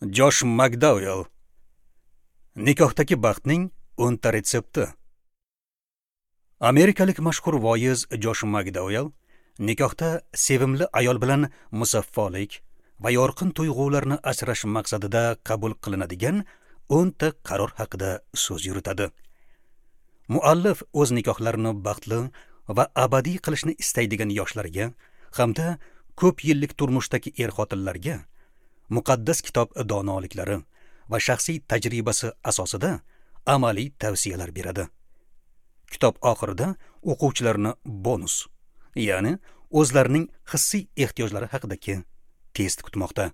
Josh McDowell. Nikohdagi baxtning 10 ta retsepti. Amerikalik mashhur voiz Josh McDowell nikohda sevimli ayol bilan musaffolik va yorqin tuyg'ularni asrash maqsadida qabul qilinadigan 10 ta qaror haqida so'z yuritadi. Muallif o'z nikohlarini baxtli va abadiy qilishni istaydigan yoshlarga hamda ko'p yillik turmushdagi er-xotinlarga muqaddas kitob donoliklari va shaxsiy tajribasi asosida amaliy tavsiyalar beradi. Kitob oxirida o'quvchilarni bonus, ya'ni o'zlarining hissiy ehtiyojlari haqidagi test kutmoqda.